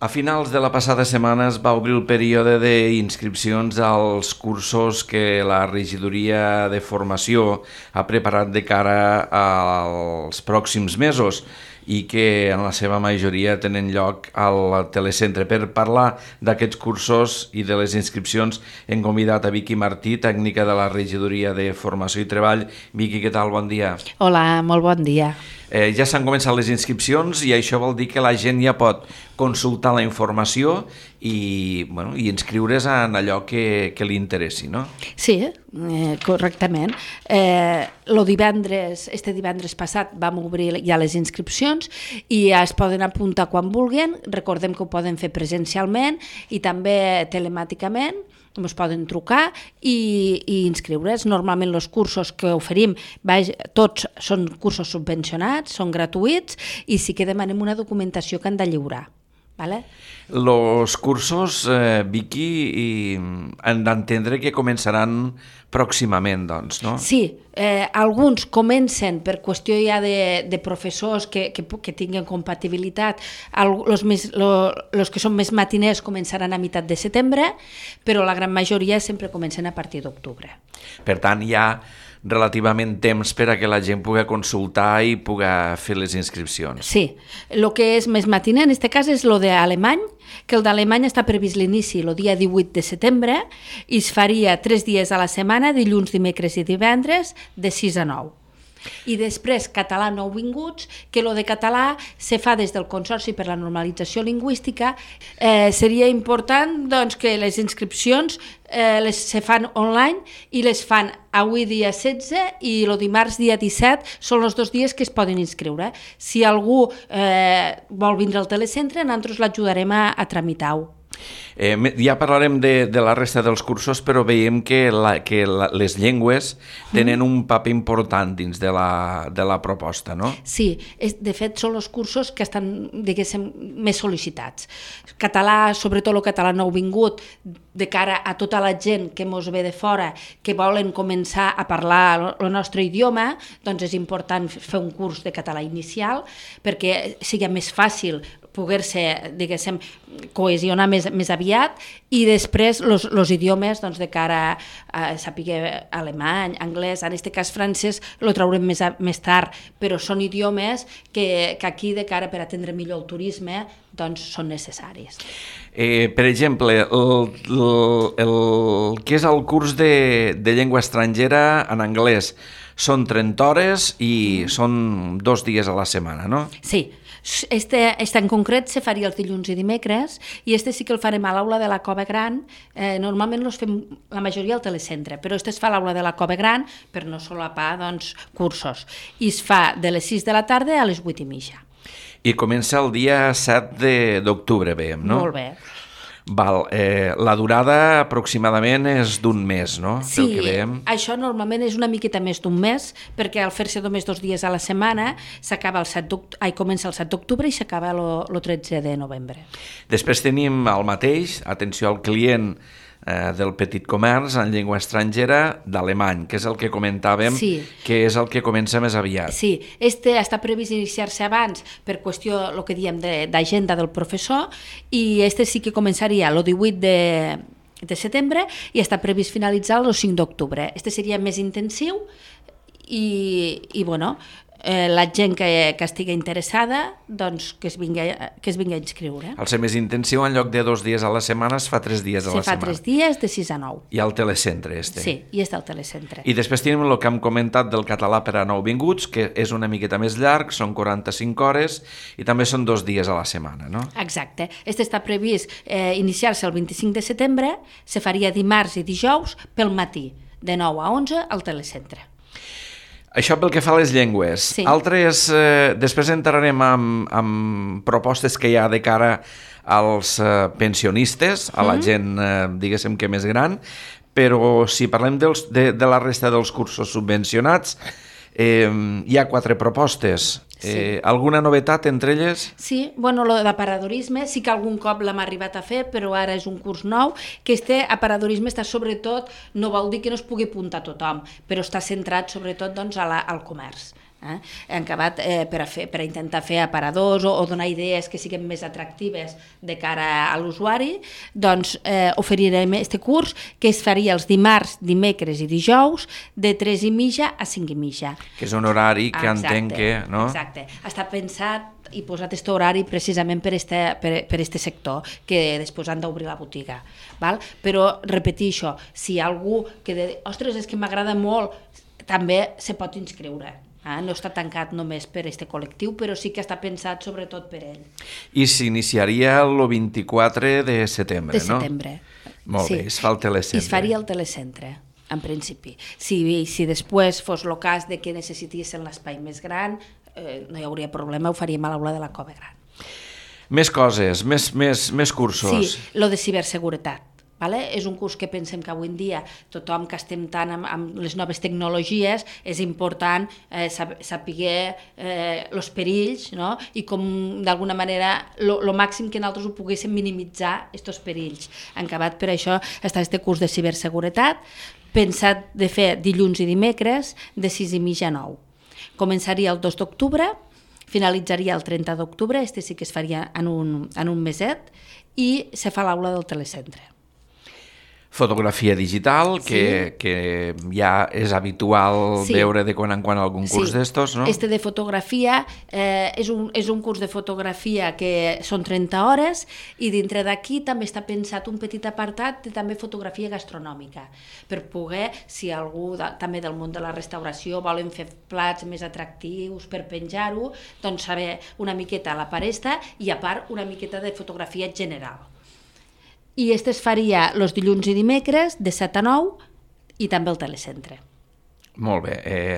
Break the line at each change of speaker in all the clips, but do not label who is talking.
A finals de la passada setmana es va obrir el període d'inscripcions als cursos que la regidoria de formació ha preparat de cara als pròxims mesos i que en la seva majoria tenen lloc al telecentre. Per parlar d'aquests cursos i de les inscripcions hem convidat a Vicky Martí, tècnica de la regidoria de formació i treball. Vicky, què tal? Bon dia.
Hola, molt bon dia.
Ja s'han començat les inscripcions i això vol dir que la gent ja pot consultar la informació i inscriure's en allò que li interessi, no?
Sí, correctament. Este divendres passat vam obrir ja les inscripcions i ja es poden apuntar quan vulguin. Recordem que ho poden fer presencialment i també telemàticament. Ens poden trucar i inscriure's. Normalment els cursos que oferim tots són cursos subvencionats, són gratuïts i sí que demanem una documentació que han de lliurar.
Els cursos, Vicky, han d'entendre que començaran pròximament, doncs, no?
Sí, alguns comencen per qüestió ja de professors que tinguin compatibilitat. Els que són més matiners començaran a meitat de setembre, però la gran majoria sempre comencen a partir d'octubre.
Per tant, hi ha relativament temps per a que la gent pugui consultar i pugui fer les inscripcions.
Sí, el que és més matiner en aquest cas és el d'alemany, que el d'alemany està previst l'inici el dia 18 de setembre i es faria 3 dies a la setmana, dilluns, dimecres i divendres, de 6 a 9. I després català nouvinguts, que el de català se fa des del Consorci per la Normalització Lingüística. Seria important doncs, que les inscripcions se fan online i les fan avui dia 16 i el dimarts dia 17 són els 2 dies que es poden inscriure. Si algú vol vindre al telecentre, nosaltres l'ajudarem a tramitar-ho.
Ja parlarem de la resta dels cursos, però veiem que les llengües tenen un paper important dins de la proposta, no?
Sí, de fet són els cursos que estan, diguéssim, més sol·licitats. Català, sobretot el català nouvingut, de cara a tota la gent que mos ve de fora, que volen començar a parlar el nostre idioma, doncs és important fer un curs de català inicial perquè sigui més fàcil poder-se, diguéssim, cohesionar més aviat i després els idiomes de cara a saber alemany, anglès, en aquest cas francès el traurem més tard, però són idiomes que aquí de cara per atendre millor el turisme doncs són necessaris.
Per exemple, el que és el curs de llengua estrangera en anglès són 30 hores i són 2 dies a la setmana, no?
Sí. Este en concret se faria els dilluns i dimecres i este sí que el farem a l'aula de la Cova Gran. Normalment els fem la majoria al telecentre, però este es fa a l'aula de la Cova Gran per no solapar cursos. I es fa de les 6 de la tarda a les 8:30.
I comença el dia 7 d'octubre, veiem, no?
Molt bé.
Val, la durada aproximadament és d'un mes, no?
Sí,
pel que veiem.
Això normalment és una miqueta més d'un mes, perquè al fer-se només 2 dies a la setmana comença el 7 d'octubre i s'acaba el 13 de novembre.
Després tenim el mateix, atenció al client del petit comerç en llengua estrangera d'alemany, que és el que comentàvem,
sí,
que és el que comença més aviat.
Sí, està previst iniciar-se abans per qüestió, el que diem, d'agenda del professor, i sí que començaria el 18 de setembre i està previst finalitzar el 5 d'octubre. Seria més intensiu i bueno, la gent que estigui interessada doncs que es vingui a inscriure.
Al ser més intensiu, en lloc de 2 dies a la setmana, es fa 3 dies a la setmana.
Se fa 3 dies de 6 a 9.
I al telecentre,
Sí, i està al telecentre.
I després tenim el que hem comentat del català per a nouvinguts, que és una miqueta més llarg, són 45 hores i també són 2 dies a la setmana, no?
Exacte. Està previst iniciar-se el 25 de setembre, se faria dimarts i dijous pel matí, de 9 a 11 al telecentre.
Això pel que fa a les llengües.
Sí.
Altres, després entrarem amb propostes que hi ha de cara als pensionistes, a la gent, diguéssim que més gran, però si parlem de la resta dels cursos subvencionats, hi ha 4 propostes. Sí. Alguna novetat entre elles?
Sí, bueno, el d'aparadorisme sí que algun cop l'hem arribat a fer, però ara és un curs nou, que aparadorisme està sobretot, no vol dir que no es pugui apuntar tothom, però està centrat sobretot doncs, al comerç. Hem acabat per intentar fer aparadors o donar idees que siguin més atractives de cara a l'usuari, doncs oferirem aquest curs que es faria els dimarts, dimecres i dijous de 3:30 a 5:30.
Que és un horari que entenc que... no?
Exacte. Està pensat i posat aquest horari precisament per este sector, que després han d'obrir la botiga. Val? Però repetir això, si hi ha algú que de, ostres, és que m'agrada molt, també se pot inscriure. No està tancat només per aquest col·lectiu, però sí que està pensat sobretot per ell.
I s'iniciaria el 24 de setembre,
no? De setembre.
Molt bé, es fa el telecentre.
I es faria el telecentre, en principi. Si després fos el cas de que necessitissin l'espai més gran, no hi hauria problema, ho faríem a l'aula de la Cova Gran.
Més coses, més cursos.
Sí, lo de ciberseguretat. És un curs que pensem que avui en dia tothom que estem tant amb les noves tecnologies és important saber els perills, no? I com d'alguna manera el màxim que nosaltres ho poguéssim minimitzar aquests perills. En acabat per això està aquest curs de ciberseguretat pensat de fer dilluns i dimecres de 6:30 a 9. Començaria el 2 d'octubre, finalitzaria el 30 d'octubre, sí que es faria en un meset, i se fa l'aula del telecentre.
Fotografia digital, que ja és habitual veure de quan en quan algun curs d'estos, no?
Este de fotografia és un curs de fotografia que són 30 hores i dintre d'aquí també està pensat un petit apartat de també fotografia gastronòmica, per poder, si algú també del món de la restauració volen fer plats més atractius per penjar-ho, doncs saber una miqueta la paresta i a part una miqueta de fotografia general. I es faria els dilluns i dimecres de 7 a 9 i també el telecentre.
Molt bé,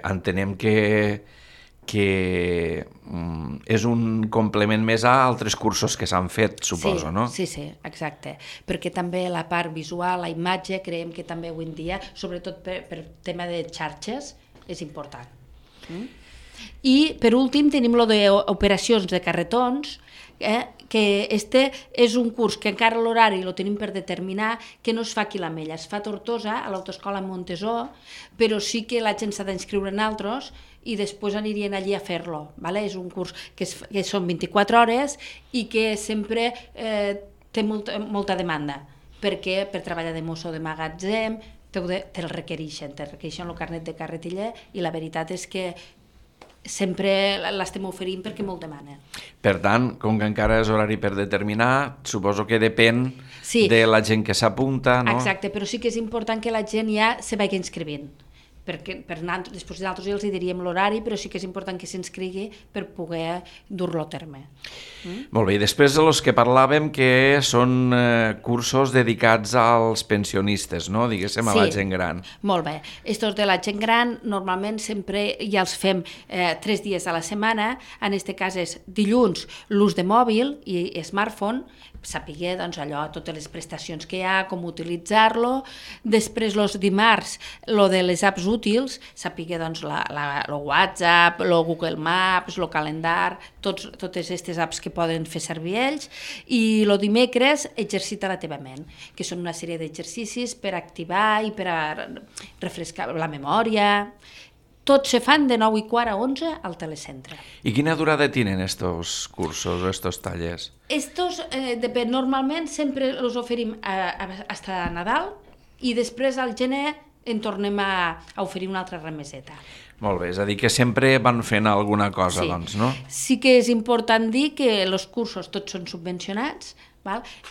entenem que és un complement més a altres cursos que s'han fet, suposo, no?
Sí, exacte, perquè també la part visual, la imatge, creiem que també avui en dia, sobretot per tema de xarxes, és important. I per últim tenim lo d'operacions de carretons, que este és un curs que encara l'horari lo tenim per determinar, que no es fa aquí a l'Ametlla, es fa a Tortosa, a l'autoescola Montesó, però sí que la gent s'ha d'inscriure en altres i després anirien allí a fer-lo. És un curs que són 24 hores i que sempre té molta demanda, perquè per treballar de mosso de magatzem te'l requereixen el carnet de carretiller i la veritat és que sempre l'estem oferint perquè molt demanen.
Per tant, com que encara és horari per determinar, suposo que depèn de la gent que s'apunta, no?
Exacte, però sí que és important que la gent ja se vagi inscrivint, perquè després nosaltres ja els diríem l'horari, però sí que és important que s'inscrigui per poder dur-lo a terme.
Molt bé, i després de los que parlàvem que són cursos dedicats als pensionistes, no? Diguéssim, a la gent gran.
Molt bé. Estos de la gent gran normalment sempre ja els fem 3 dies a la setmana, en aquest cas és dilluns l'ús de mòbil i smartphone, saber allò, totes les prestacions que hi ha, com utilitzar-lo, després els dimarts lo de les apps útils, saber el WhatsApp, el Google Maps, el calendar, totes aquestes apps que poden fer servir ells, i el dimecres exercita la teva ment, que són una sèrie d'exercicis per activar i per a refrescar la memòria. Tots se fan de 9:15 a 11 al telecentre.
I quina durada tenen estos cursos, estos tallers?
Estos, normalment sempre els oferim fins a Nadal i després al gener en tornem a oferir una altra remeseta.
Molt bé, és a dir, que sempre van fent alguna cosa, doncs, no?
Sí que és important dir que els cursos tots són subvencionats,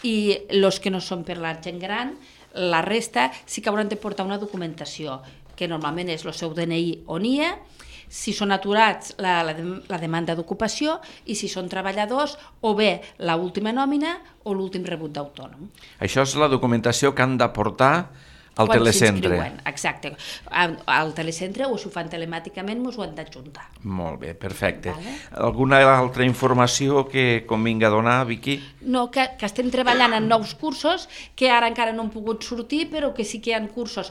i els que no són per la gent gran, la resta sí que hauran de portar una documentació, que normalment és el seu DNI o NIE, si són aturats la demanda d'ocupació i si són treballadors o bé l'última nòmina o l'últim rebut d'autònom.
Això és la documentació que han de portar al telecentre.
Exacte. Al telecentre o si ho fan telemàticament ens ho han d'adjuntar.
Molt bé, perfecte. Alguna altra informació que convinga donar, Vicky?
No, que estem treballant en nous cursos que ara encara no han pogut sortir, però que sí que hi ha cursos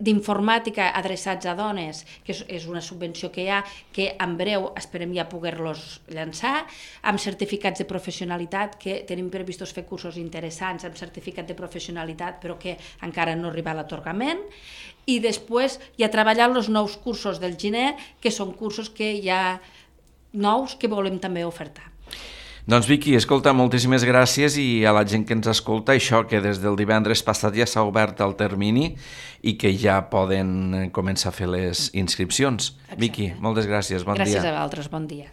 d'informàtica adreçats a dones, que és una subvenció que hi ha, que en breu esperem ja poder-los llançar, amb certificats de professionalitat, que tenim previstos fer cursos interessants amb certificat de professionalitat, però que encara no arriba a l'atorgament, i després ja treballar els nous cursos del gener, que són cursos que hi ha nous que volem també ofertar.
Doncs Vicky, escolta, moltíssimes gràcies i a la gent que ens escolta, això que des del divendres passat ja s'ha obert el termini i que ja poden començar a fer les inscripcions. Exacte. Vicky, moltes gràcies, bon dia.
Gràcies a vosaltres, bon dia.